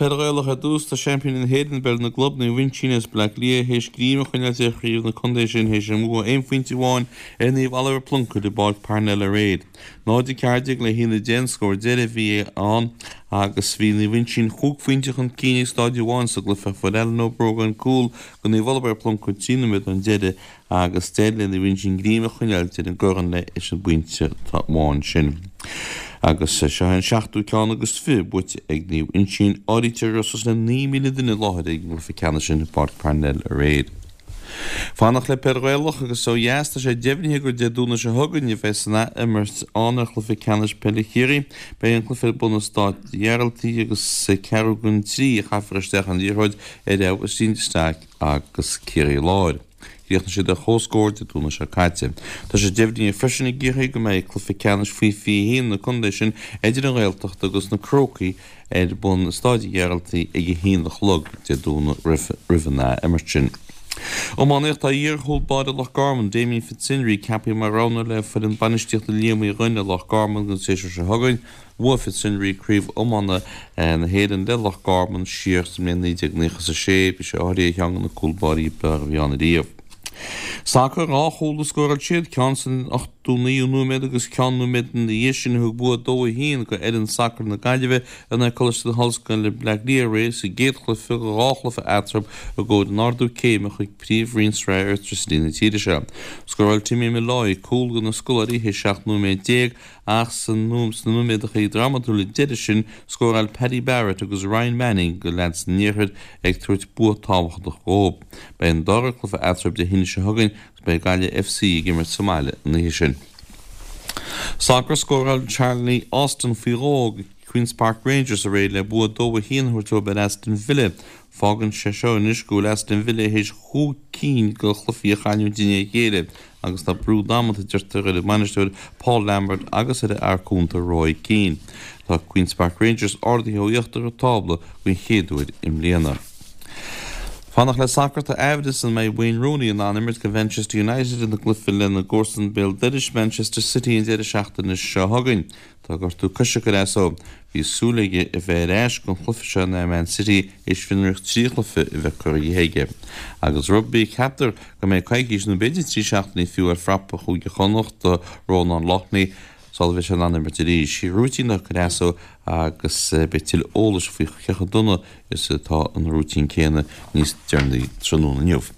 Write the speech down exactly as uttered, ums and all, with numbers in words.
Peil Ghaelach ar dtús, tá seaimpíní na hÉireann i bpeil na gclub, Naomh Uinseann as Baile Átha Cliath, théis greim a choinneáilt ar chraobh na contae sin théis a mbua aon phointe amháin ar Naomh Oliver Plunkett i bPáirc Parnell aréir. náid a ceathair déag le haon a deich an scór deiridh a bhí ann agus bhí Naomh Uinseann chúig phointe chun cinn ag staid amháin sa gcluiche ach fuair Alan Ó Brógáin cúl do Naomh Oliver Plunkett trí nóiméad ón deireadh agus d'éirigh le Naomh Uinseann greim a choinneáilt ar an gcorn leis an bpointe amháin sin. Agus seo é an seachtú ceann agus fiche buaite ag Naomh Uinseann. Áirítear go raibh suas le naoi míle duine i láthair ag an gcluiche ceannais sin i bPáirc Parnell aréir. Fanacht le Peil Ghaelach agus ó dheas, tá sé deimhnithe gur Dé Domhnaigh seo chugainn a bheas an ath-imirt ann ar chluiche ceannais peile Chiarraí. Beidh an cluiche ar bun i Stáid Ghearaltaigh agus ceathrú don trí a chaithfear isteach an liathróid ar Abhaistín de Staic agus Ciarraí Láir. Chríochnaigh siad ar comhscór Dé Domhnaigh seo caite. Tá sé deimhnithe freisin i gCiarraí go mbeidh cluiche ceannais faoi fiche a haon na contae sin idir an Ghaeltacht agus na Crócaigh ar bun i Stáid Ghearaltaigh ag a haon a chlog Dé Domhnaigh roimh an ath-imirt sin. Iománaíocht Tá iar-chúl báire Loch Garman, Damien Fitzhenry, ceaptha mar rogha le foireann bainistíochta Liam Uí Dhuinn i Loch Garman don séasúr seo chugainn. Bhuaigh Fitzhenry Craobh Iomána na hÉireann le Loch Garman siar sa mbliain naoi déag naocha is a sé. Bhí sé áirithe ar cheann de na cúl báirí ab fhearr a bhí ann ariamh. Sacar, dhá chúl a scóráil siad, ceann san ochtó naoú nóiméad agus ceann nóiméad ina dhiaidh sin a thug bua dó a haon go fhoireann sacair na Gaillimhe in aghaidh Coláiste na hOllscoile Bleá Cliath aréir sa gcéad chluiche de dhá chluiche eatarthu i gcomhair an ardú céime chuig Príomhroinn Sraith Airtricity na tíre seo. Scóráil Timmy Molloy cúl do na scoláirí théis seacht nóiméad déag ach sna nóiméadacha drámatúla deiridh sin scóráil Paddy Barrett agus Ryan Manning do leaids an iarthair ag tabhairt bua tábhachtach dhóibh. Beidh an dara cluiche eatarthu Dé hAoine seo chugainn agus beidh Gaillimh F C ag imirt sa mbaile an oíche sin. Sacar, Scóráil Charlie Austin faoi dhó do Queen's Park Rangers aréir le bua dó a haon a thabhairt dóibh ar Aston Villa. Fágann sé seo anois go bhfuil Aston Villa théis chúig cinn de chluichí a chailliúint i ndiaidh a chéile agus tá brú damanta deirtear ar an mbainisteoir Paul Lambert agus ar a fhear cúnta Roy Keane. Tá Queen's Park Rangers ardaithe ó íochtar an tábla den chéad uair i mbliana. Fanacht le sacar, tá aimhreas an mbeidh Wayne Rooney in ann imirt do Manchester United ina gcluiche lena gcomharsan béal dorais Manchester City an deireadh seachtaine seo chugainn. Tá gortú coise ag cur as dó. Bhí súil aige a bheith ar ais don chluiche seo in aghaidh Man City théis fionraíocht trí chluiche a bheith curtha dhe aige. Agus rugbaí, ceaptar go mbeidh coicís nó b'fhéidir trí seachtainí fiú ar phrapa Chúige Chonnacht do Rónán Loughney sula mbeidh sé in ann imirt arís. Rúitín ag cur as dó agus beidh tuilleadh eolais faoi cé chomh dona is atá an rúitín céanna níos deireanaí tráthnóna inniu.